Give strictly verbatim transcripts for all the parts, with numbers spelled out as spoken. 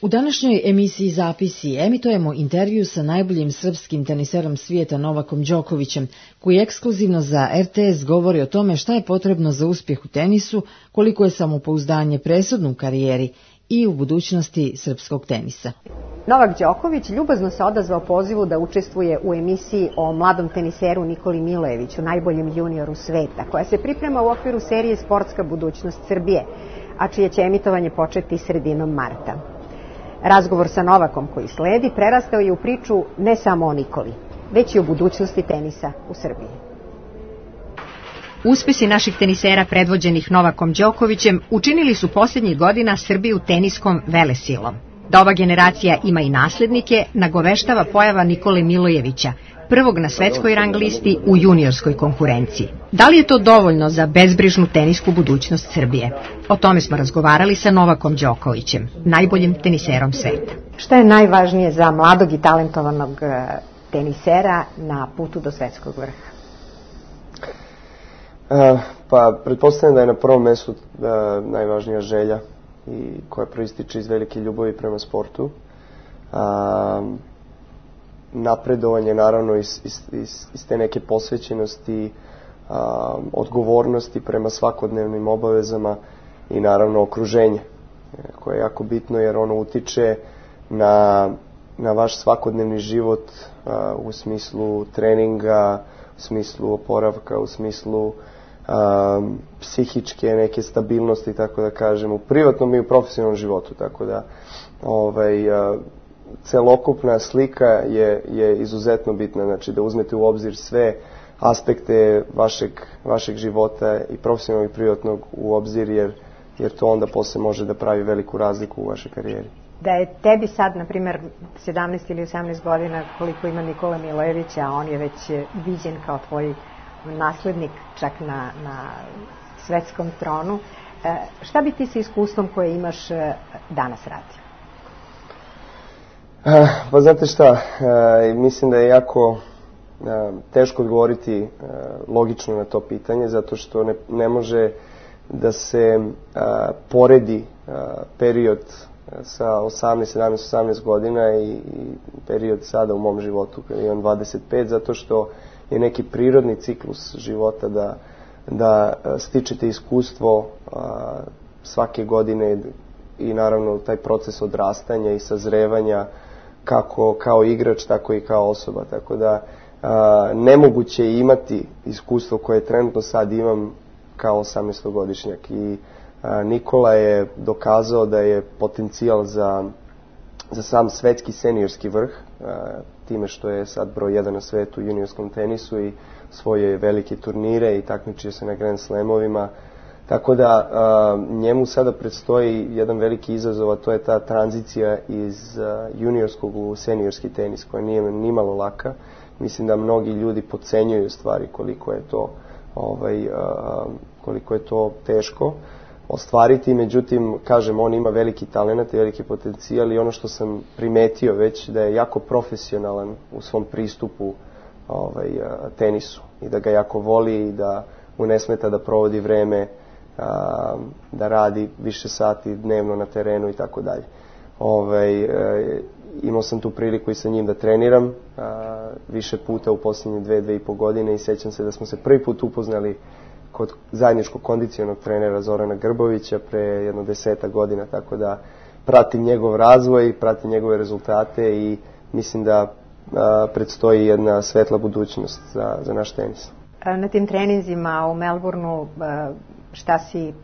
U današnjoj emisiji Zapisi emitujemo intervju sa najboljim srpskim teniserom svijeta Novakom Đokovićem, koji ekskluzivno za er te es govori o tome šta je potrebno za uspjeh u tenisu, koliko je samopouzdanje presudno u karijeri i u budućnosti srpskog tenisa. Novak Đoković ljubazno se odazvao pozivu da učestvuje u emisiji o mladom teniseru Nikoli Milojeviću, najboljem junioru sveta, koja se priprema u okviru serije Sportska budućnost Srbije, a čije će emitovanje početi sredinom marta. Razgovor sa Novakom koji sledi prerastao je u priču ne samo o Nikoli, već i o budućnosti tenisa u Srbiji. Uspesi naših tenisera predvođenih Novakom Đokovićem učinili su posljednjih godina Srbiju teniskom velesilom. Da ova generacija ima i naslednike, nagoveštava pojava Nikole Milojevića, prvog na svetskoj rang listi u juniorskoj konkurenciji. Da li je to dovoljno za bezbrižnu tenisku budućnost Srbije? O tome smo razgovarali sa Novakom Đokovićem, najboljim teniserom sveta. Šta je najvažnije za mladog i talentovanog tenisera na putu do svetskog vrha? Uh, pa, pretpostavljam da je na prvom mjestu uh, najvažnija želja i koja proističe iz velike ljubavi prema sportu. Uh, napredovanje naravno iz, iz, iz, iz te neke posvećenosti, uh, odgovornosti prema svakodnevnim obavezama i naravno okruženje koje je jako bitno jer ono utiče na, na vaš svakodnevni život uh, u smislu treninga, u smislu oporavka, u smislu Um, psihičke neke stabilnosti, tako da kažem, u privatnom i u profesionalnom životu, tako da ovaj, uh, celokupna slika je, je izuzetno bitna, znači da uzmete u obzir sve aspekte vašeg, vašeg života i profesionalnog i privatnog u obzir, jer, jer to onda posle može da pravi veliku razliku u vašoj karijeri. Da je tebi sad, na primjer, sedamnaest ili osamnaest godina koliko ima Nikola Milojevića, a on je već viđen kao tvoj naslednik čak na, na svetskom tronu. E, šta bi ti sa iskustvom koje imaš danas radio? E, pa znate šta, e, mislim da je jako e, teško odgovoriti e, logično na to pitanje, zato što ne, ne može da se e, poredi e, period sa osamnaest, sedamnaest, osamnaest godina i, i period sada u mom životu kada imam dvadeset pet, zato što je neki prirodni ciklus života da, da stičete iskustvo a, svake godine i naravno taj proces odrastanja i sazrevanja kako kao igrač, tako i kao osoba. Tako da a, nemoguće je imati iskustvo koje trenutno sad imam kao osamnaestogodišnjak. I a, Nikola je dokazao da je potencijal za, za sam svetski seniorski vrh, a, time što je sad broj jedan na svetu u juniorskom tenisu i svoje velike turnire i takmičio se na Grand Slamovima. Tako da a, njemu sada predstoji jedan veliki izazov, a to je ta tranzicija iz a, juniorskog u seniorski tenis, koja nije nimalo laka. Mislim da mnogi ljudi podcenjuju stvari koliko je to, ovaj, a, koliko je to teško ostvariti, međutim, kažem, on ima veliki talenat i veliki potencijal i ono što sam primetio već da je jako profesionalan u svom pristupu ovaj, tenisu i da ga jako voli i da mu ne smeta da provodi vreme, a, da radi više sati dnevno na terenu i tako dalje. Ovaj, e, imao sam tu priliku i sa njim da treniram a, više puta u posljednje dve, dve i po godine i sećam se da smo se prvi put upoznali kod zajedničkog kondicionog trenera Zorana Grbovića pre jedno deseta godina, tako da pratim njegov razvoj, pratim njegove rezultate i mislim da a, predstoji jedna svetla budućnost za, za naš tenis. Na tim treninzima u Melbourneu šta si,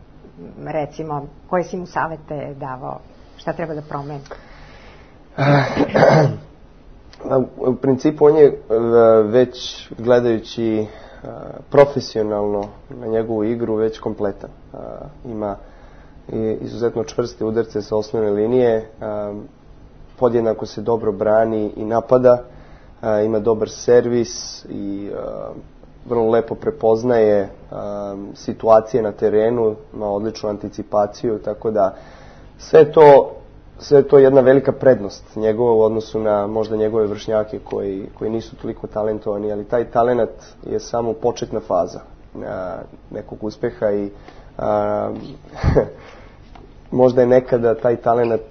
recimo, koje si mu savete davao, šta treba da promeni? U principu on je već gledajući profesionalno na njegovu igru već kompletan. Ima izuzetno čvrste udarce sa osnovne linije, podjednako se dobro brani i napada, ima dobar servis i vrlo lepo prepoznaje situacije na terenu, ima odličnu anticipaciju, tako da sve to sve to je jedna velika prednost njegova u odnosu na možda njegove vršnjake koji, koji nisu toliko talentovani, ali taj talenat je samo početna faza nekog uspeha i a, možda je nekada taj talenat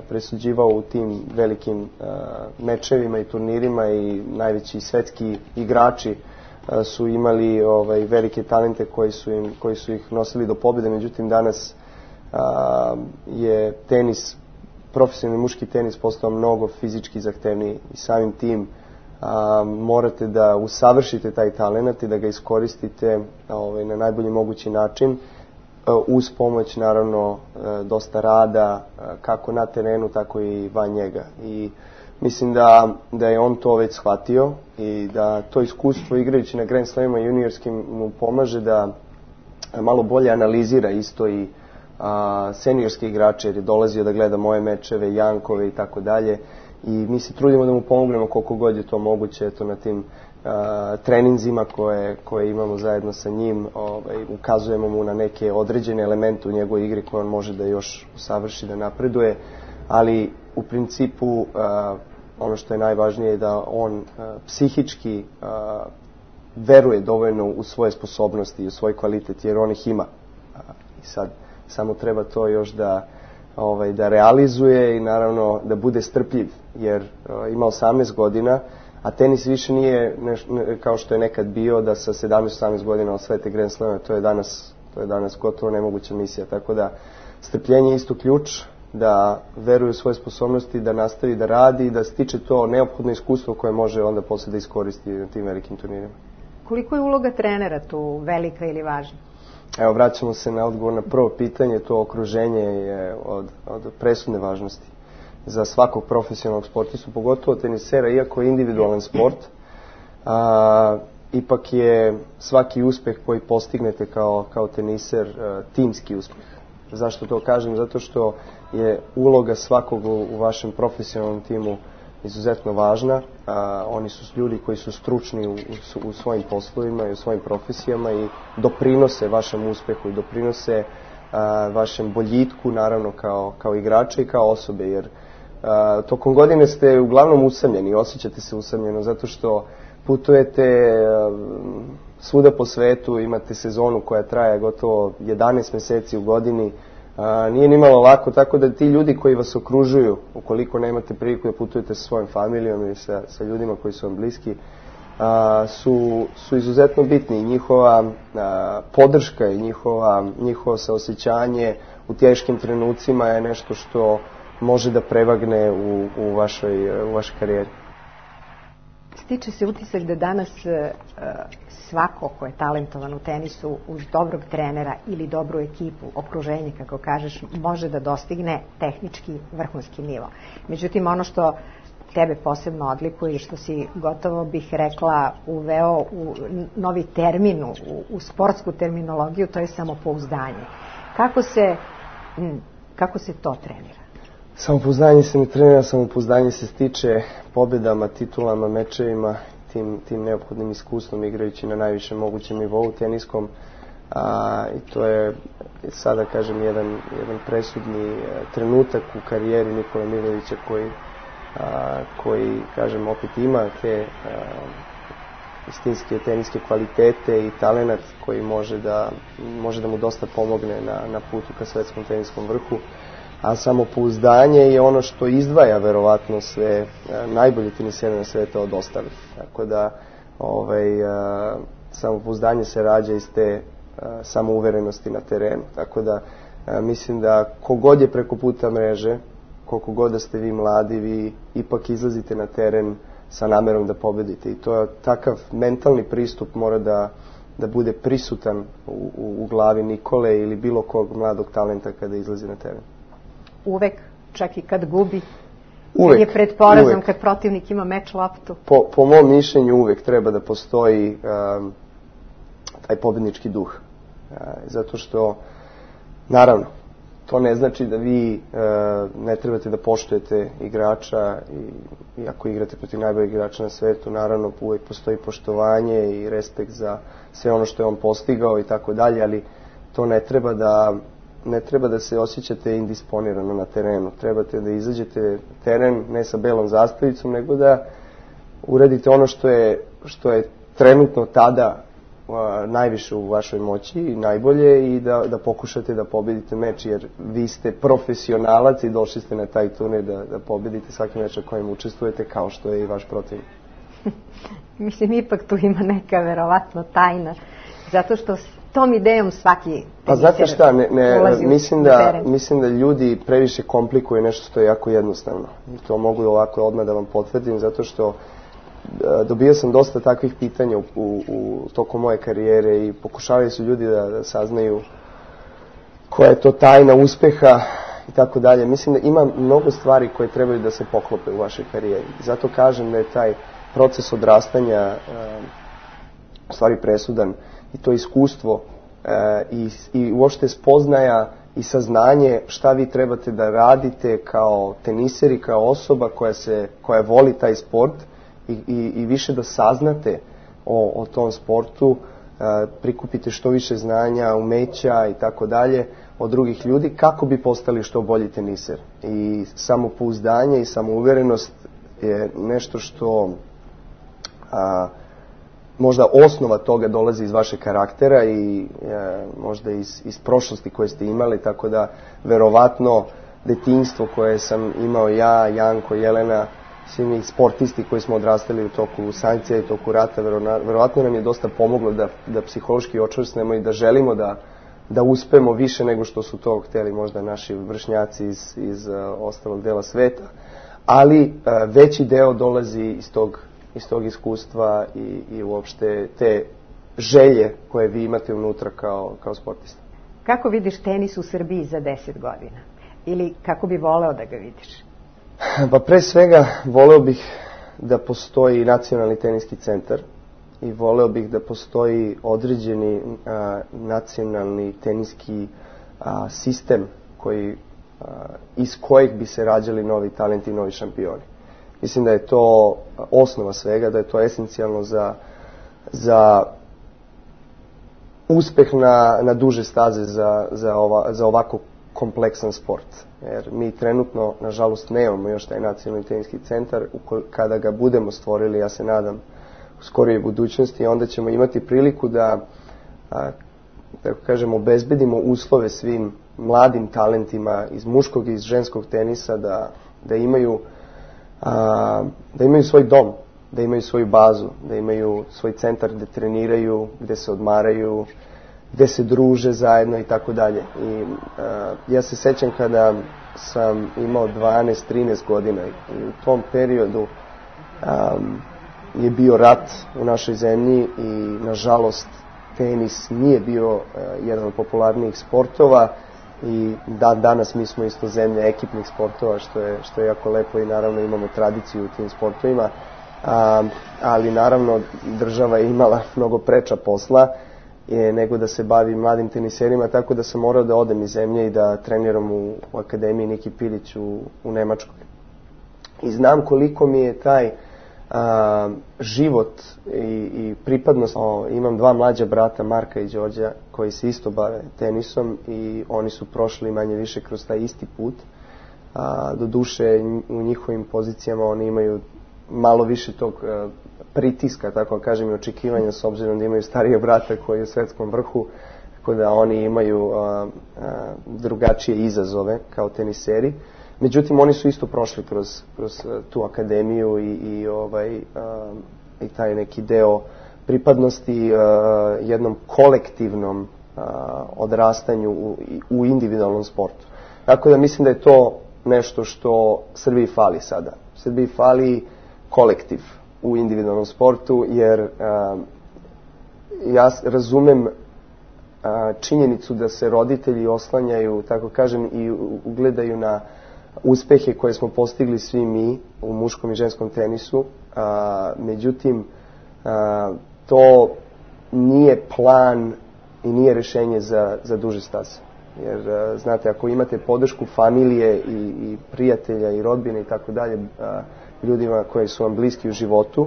presuđivao u tim velikim mečevima i turnirima i najveći svetski igrači su imali ovaj, velike talente koji su, im, koji su ih nosili do pobjede, međutim danas a, je tenis, profesionalni muški tenis postao mnogo fizički zahtevniji i samim tim a, morate da usavršite taj talenat i da ga iskoristite ovaj, na najbolji mogući način a, uz pomoć naravno a, dosta rada a, kako na terenu tako i van njega. I mislim da, da je on to već shvatio i da to iskustvo igrajući na Grand Slamima juniorskim mu pomaže da malo bolje analizira isto i a, seniorske igrače, jer je dolazio da gleda moje mečeve, Jankove i tako dalje. I mi se trudimo da mu pomognemo koliko god je to moguće, eto, na tim a, treninzima koje, koje imamo zajedno sa njim. Ovaj, ukazujemo mu na neke određene elemente u njegovoj igri koje on može da još usavrši, da napreduje, ali u principu a, ono što je najvažnije je da on a, psihički a, veruje dovoljno u svoje sposobnosti i u svoj kvalitet, jer on ih ima. A, I sad samo treba to još da, ovaj, da realizuje i naravno da bude strpljiv, jer a, ima osamnaest godina, a tenis više nije neš, ne, kao što je nekad bio, da sa sedamnaest osamnaest godina osvete Grand Slama, to je danas, to je danas gotovo nemoguća misija, tako da strpljenje je isto ključ, da veruje u svoje sposobnosti, da nastavi da radi i da stiče to neophodno iskustvo koje može onda posle da iskoristi na tim velikim turnirima. Koliko je uloga trenera tu velika ili važna? Evo, vraćamo se na odgovor na prvo pitanje, to okruženje je od, od presudne važnosti za svakog profesionalnog sportistu, pogotovo tenisera, iako je individualan sport, a, ipak je svaki uspeh koji postignete kao, kao teniser a, timski uspeh. Zašto to kažem? Zato što je uloga svakog u vašem profesionalnom timu izuzetno važna. A, oni su ljudi koji su stručni u, u, u svojim poslovima i u svojim profesijama i doprinose vašem uspehu i doprinose a, vašem boljitku, naravno kao, kao igrača i kao osobe, jer a, tokom godine ste uglavnom usamljeni, osjećate se usamljeno zato što putujete a, svuda po svetu, imate sezonu koja traje gotovo jedanaest meseci u godini, a, nije nimalo lako, tako da ti ljudi koji vas okružuju, ukoliko nemate priliku da putujete sa svojom familijom ili sa, sa ljudima koji su vam bliski, a, su, su izuzetno bitni. Njihova a, podrška i njihova, njihovo saosećanje u teškim trenucima je nešto što može da prevagne u, u, vašoj, u vašoj karijeri. Stiče se utisak da danas uh, svako ko je talentovan u tenisu uz dobrog trenera ili dobru ekipu, okruženje, kako kažeš, može da dostigne tehnički vrhunski nivo. Međutim, ono što tebe posebno odlikuje i što si, gotovo bih rekla, uveo u novi termin, u, u sportsku terminologiju, to je samopouzdanje. Kako se, hm, kako se to trenira? Samopouzdanje se ne trenira, samopouzdanje se stiče pobjedama, titulama, mečevima, tim, tim neophodnim iskustvom igrajući na najvišem mogućem nivou teniskom. A, I to je sada, kažem, jedan, jedan presudni trenutak u karijeri Nikole Milojevića koji, a, koji, kažem, opet ima te a, istinske teniske kvalitete i talenat koji može da, može da mu dosta pomogne na, na putu ka svetskom teniskom vrhu. A samopouzdanje je ono što izdvaja verovatno sve a, najbolje tenisere na sveta od ostalih. Tako da ovaj, a, samopouzdanje se rađa iz te a, samouverenosti na terenu. Tako da a, mislim da kogod je preko puta mreže, koliko god da ste vi mladi, vi ipak izlazite na teren sa namerom da pobedite. I to je takav mentalni pristup mora da, da bude prisutan u, u, u glavi Nikole ili bilo kog mladog talenta kada izlazi na teren. Uvek, čak i kad gubi, uvek, kad je pred porazom, uvek. Kad protivnik ima meč loptu? Po, po mom mišljenju uvek treba da postoji um, taj pobednički duh. Uh, zato što, naravno, to ne znači da vi uh, ne trebate da poštujete igrača i, i ako igrate protiv najboljeg igrača na svetu, naravno uvek postoji poštovanje i respekt za sve ono što je on postigao i tako dalje, ali to ne treba da ne treba da se osjećate indisponirano na terenu. Trebate da izađete teren ne sa belom zastavicom, nego da uradite ono što je, što je trenutno tada najviše u vašoj moći i najbolje i da, da pokušate da pobedite meč, jer vi ste profesionalac i došli ste na taj turnir da, da pobedite svaki meč na kojem učestvujete, kao što je i vaš protivnik. Mislim, ipak tu ima neka verovatno tajna, zato što tom idejom svaki pa znate šta, ne, ne, mislim, da, mislim da ljudi previše komplikuju nešto što je jako jednostavno. I to mogu ovako odmah da vam potvrdim, zato što dobio sam dosta takvih pitanja u, u, u toku moje karijere i pokušavaju su ljudi da, da saznaju koja je to tajna uspeha i tako dalje. Mislim da ima mnogo stvari koje trebaju da se poklope u vašoj karijeri. Zato kažem da je taj proces odrastanja u stvari presudan i to iskustvo i, i uopšte spoznaja i saznanje šta vi trebate da radite kao teniser i kao osoba koja, se, koja voli taj sport i, i, i više da saznate o, o tom sportu, prikupite što više znanja, umeća i tako dalje od drugih ljudi kako bi postali što bolji teniser. I samopouzdanje i samouverenost je nešto što a, možda osnova toga dolazi iz vašeg karaktera i e, možda iz, iz prošlosti koje ste imali, tako da verovatno detinjstvo koje sam imao ja, Janko, Jelena, svi mi sportisti koji smo odrastali u toku sankcija i toku rata, verovatno nam je dosta pomoglo da, da psihološki očvrsnemo i da želimo da, da uspemo više nego što su to hteli možda naši vršnjaci iz, iz uh, ostalog dela sveta, ali uh, veći deo dolazi iz tog iz tog iskustva i, i uopšte te želje koje vi imate unutra kao, kao sportista. Kako vidiš tenis u Srbiji za deset godina? Ili kako bi voleo da ga vidiš? Pa pre svega voleo bih da postoji nacionalni teniski centar i voleo bih da postoji određeni a, nacionalni teniski a, sistem koji, a, iz kojeg bi se rađali novi talenti i novi šampioni. Mislim da je to osnova svega, da je to esencijalno za, za uspeh na, na duže staze za, za, ova, za ovako kompleksan sport. Jer mi trenutno, nažalost, nemamo još taj nacionalni teniski centar. Kada ga budemo stvorili, ja se nadam, u skorijoj budućnosti, onda ćemo imati priliku da, a, tako kažemo, obezbedimo uslove svim mladim talentima iz muškog i iz ženskog tenisa da, da imaju A, da imaju svoj dom, da imaju svoju bazu, da imaju svoj centar gde treniraju, gde se odmaraju, gde se druže zajedno i tako dalje. I a, ja se sećam kada sam imao dvanaest trinaest godina i u tom periodu a, je bio rat u našoj zemlji i nažalost tenis nije bio a, jedan od popularnijih sportova. I dan danas mi smo isto zemlja ekipnih sportova, što je, što je jako lepo i naravno imamo tradiciju u tim sportovima, a, ali naravno država je imala mnogo preča posla je, nego da se bavi mladim teniserima, tako da sam morao da odem iz zemlje i da treniram u, u Akademiji Niki Pilić u, u Nemačkoj. I znam koliko mi je taj a, život i, i pripadnost. O, imam dva mlađa brata, Marka i Đorđa, koji se isto bave tenisom i oni su prošli manje više kroz taj isti put. A, do duše u njihovim pozicijama oni imaju malo više tog a, pritiska, tako kažem, i očekivanja, s obzirom da imaju starijeg brata koji je u svetskom vrhu, tako da oni imaju a, a, drugačije izazove kao teniseri. Međutim, oni su isto prošli kroz, kroz tu akademiju i, i, ovaj, a, i taj neki deo pripadnosti a, jednom kolektivnom a, odrastanju u, u individualnom sportu. Tako da mislim da je to nešto što Srbiji fali sada. Srbiji fali kolektiv u individualnom sportu, jer a, ja razumem a, činjenicu da se roditelji oslanjaju, tako kažem, i ugledaju na uspehe koje smo postigli svi mi u muškom i ženskom tenisu. A, međutim, a, to nije plan i nije rešenje za, za duže staze. Jer, a, znate, ako imate podršku familije i, i prijatelja i rodbine i tako dalje, ljudima koji su vam bliski u životu,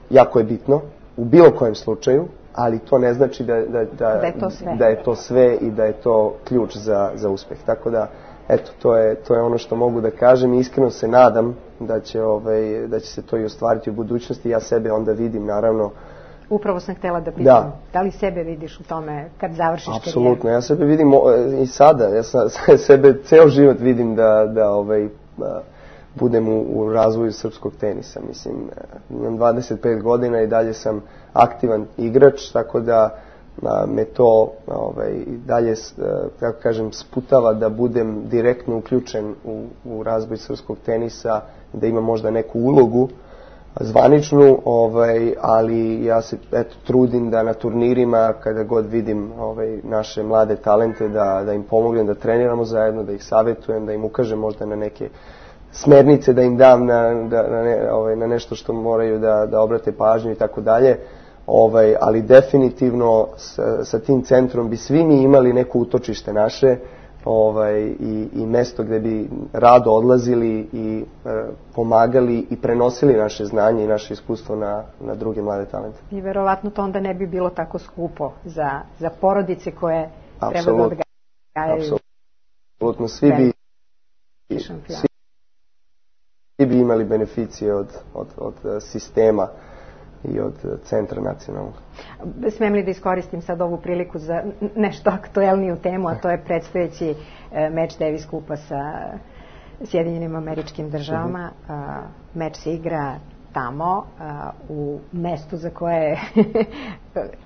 jako je bitno, u bilo kojem slučaju, ali to ne znači da, da, da, da, je, to sve. da je to sve i da je to ključ za, za uspeh. Tako da, eto, to je, to je ono što mogu da kažem i iskreno se nadam da će, ovaj, da će se to i ostvariti u budućnosti. Ja sebe onda vidim, naravno, Upravo sam htjela da pitam, da. da li sebe vidiš u tome kad završiš karijeru? Apsolutno, ja sebe vidim i sada, ja sebe ceo život vidim da, da ovaj, budem u, u razvoju srpskog tenisa. Mislim, imam dvadeset pet godina i dalje sam aktivan igrač, tako da me to ovaj, dalje, kako kažem, sputava da budem direktno uključen u, u razvoj srpskog tenisa, da imam možda neku ulogu zvaničnu, ovaj, ali ja se eto, trudim da na turnirima, kada god vidim ovaj, naše mlade talente, da, da im pomognem, da treniramo zajedno, da ih savjetujem, da im ukažem možda na neke smernice, da im dam na, da, na, ne, ovaj, na nešto što moraju da, da obrate pažnju i tako dalje. Ovaj, ali definitivno sa, sa tim centrom bi svi mi imali neko utočište naše, ovaj, i, i mesto gde bi rado odlazili i e, pomagali i prenosili naše znanje i naše iskustvo na, na druge mlade talente. I verovatno to onda ne bi bilo tako skupo za, za porodice koje treba da odgajaju. Apsolutno, svi bi, svi, svi bi imali beneficije od, od, od sistema i od centra nacionalnog. Smijem li da iskoristim sad ovu priliku za nešto aktuelniju temu, a to je predstojeći meč Davis Kupa sa Sjedinjenim Američkim Državama. Uh-huh. Meč se igra tamo, u mestu za koje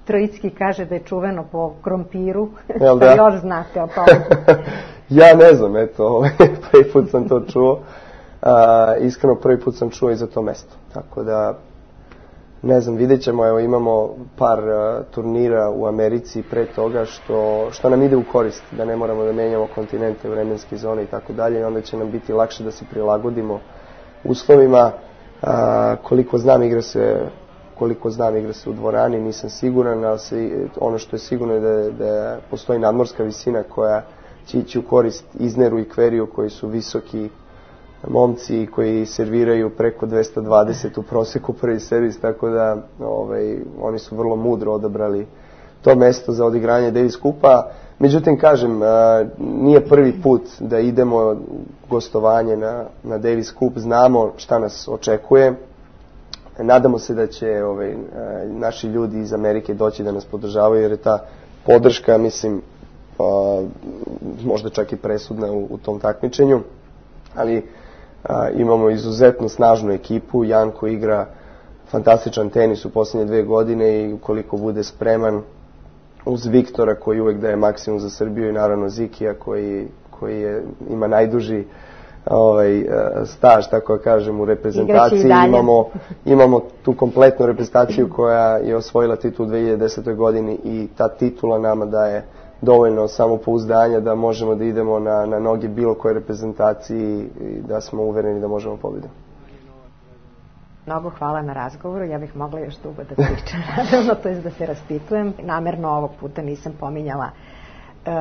Trojicki kaže da je čuveno po krompiru. Jel da? Još znate o tome? Ja ne znam, eto, prvi put sam to čuo. Iskreno, prvi put sam čuo i za to mesto. Tako da, ne znam, vidjet ćemo, evo imamo par uh, turnira u Americi pre toga što, što nam ide u korist, da ne moramo da menjamo kontinente, vremenske zone i tako dalje, i onda će nam biti lakše da se prilagodimo uslovima. Uh, koliko znam igra se koliko znam igra se u dvorani, nisam siguran, ali se, ono što je sigurno je da, da postoji nadmorska visina koja će ići u korist Izneru i Kveriju, koji su visoki momci koji serviraju preko dvesta dvadeset u proseku prvi servis, tako da ovaj, oni su vrlo mudro odabrali to mesto za odigranje Davis Kupa. Međutim, kažem, nije prvi put da idemo gostovanje na, na Davis Kup, znamo šta nas očekuje. Nadamo se da će ovaj, naši ljudi iz Amerike doći da nas podržavaju, jer je ta podrška, mislim, možda čak i presudna u, u tom takmičenju. Ali A, imamo izuzetno snažnu ekipu. Janko igra fantastičan tenis u posljednje dve godine i ukoliko bude spreman, uz Viktora koji uvek daje maksimum za Srbiju, i naravno Zikija koji, koji je, ima najduži ovaj, staž, tako da kažem, u reprezentaciji. Imamo, imamo tu kompletnu reprezentaciju koja je osvojila titul u dve hiljade desetoj godini i ta titula nama daje dovoljno samopouzdanja da možemo da idemo na, na noge bilo koje reprezentaciji i da smo uvereni da možemo pobediti. Mnogo hvala na razgovoru, ja bih mogla još dugo da pričam, naravno, to je da se raspitujem. Namerno ovog puta nisam pominjala uh,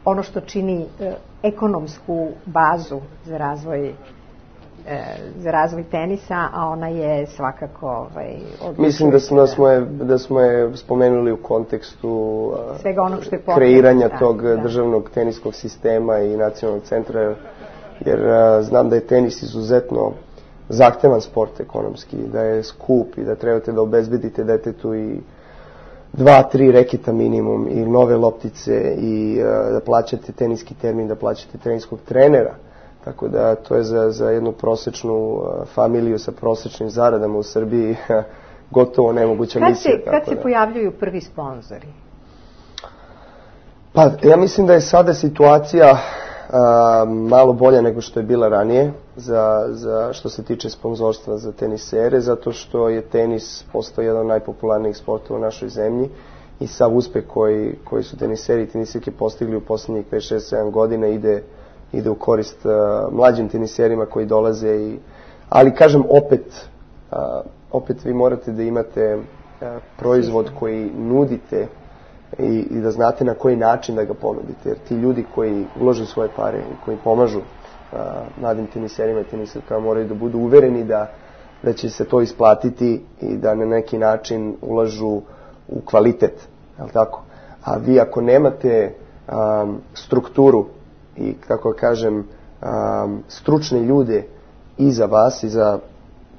ono što čini uh, ekonomsku bazu za razvoj za razvoj tenisa, a ona je svakako ovaj, mislim da smo, da smo, je, da smo je spomenuli u kontekstu svega onog što je potrebno, kreiranja da, tog da. državnog teniskog sistema i nacionalnog centra, jer a, znam da je tenis izuzetno zahtevan sport ekonomski, da je skup i da trebate da obezbedite detetu i dva, tri reketa minimum i nove loptice i a, da plaćate teniski termin, da plaćate teniskog trenera. Tako da to je za, za jednu prosečnu uh, familiju sa prosečnim zaradama u Srbiji gotovo nemoguća kad misija. Se, kad se da. pojavljuju prvi sponzori? Pa ja mislim da je sada situacija uh, malo bolja nego što je bila ranije za, za što se tiče sponzorstva za tenisere, zato što je tenis postao jedan od najpopularnijih sportova u našoj zemlji i sav uspeh koji, koji su teniseri i teniserke postigli u posljednjih pet, šest, sedam godina ide ide u korist uh, mlađim teniserima koji dolaze i, ali kažem opet uh, opet vi morate da imate uh, proizvod koji nudite i, i da znate na koji način da ga ponudite, jer ti ljudi koji ulože svoje pare i koji pomažu uh, mladim teniserima i teniserkama moraju da budu uvereni da, da će se to isplatiti i da na neki način ulažu u kvalitet, je li tako? A vi ako nemate um, strukturu i, kako kažem, um, stručne ljude iza vas, iza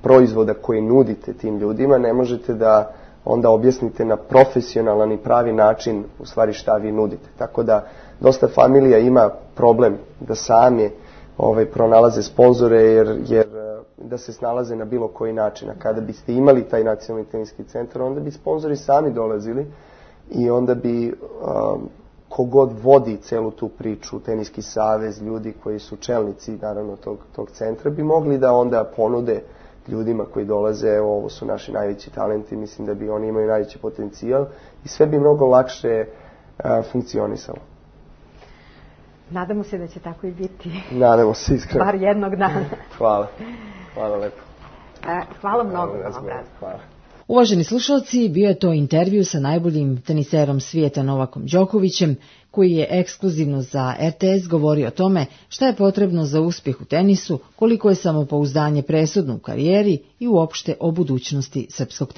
proizvoda koji nudite tim ljudima, ne možete da onda objasnite na profesionalan i pravi način u stvari šta vi nudite. Tako da dosta familija ima problem da sami ovaj, pronalaze sponzore jer, jer da se snalaze na bilo koji način. A kada biste imali taj nacionalni teniski centar, onda bi sponzori sami dolazili i onda bi um, kogod vodi celu tu priču, Teniski savez, ljudi koji su čelnici naravno tog, tog centra, bi mogli da onda ponude ljudima koji dolaze, evo, ovo su naši najveći talenti, mislim da bi oni imaju najveći potencijal i sve bi mnogo lakše a, funkcionisalo. Nadamo se da će tako i biti. Nadamo se iskreno. Bar jednog dana. Hvala. Hvala lepo. Hvala mnogo. Hvala. Hvala. Uvaženi slušalci, bio je to intervju sa najboljim teniserom svijeta Novakom Đokovićem, koji je ekskluzivno za R T S govorio o tome šta je potrebno za uspjeh u tenisu, koliko je samopouzdanje presudno u karijeri i uopšte o budućnosti srpskog tenisa.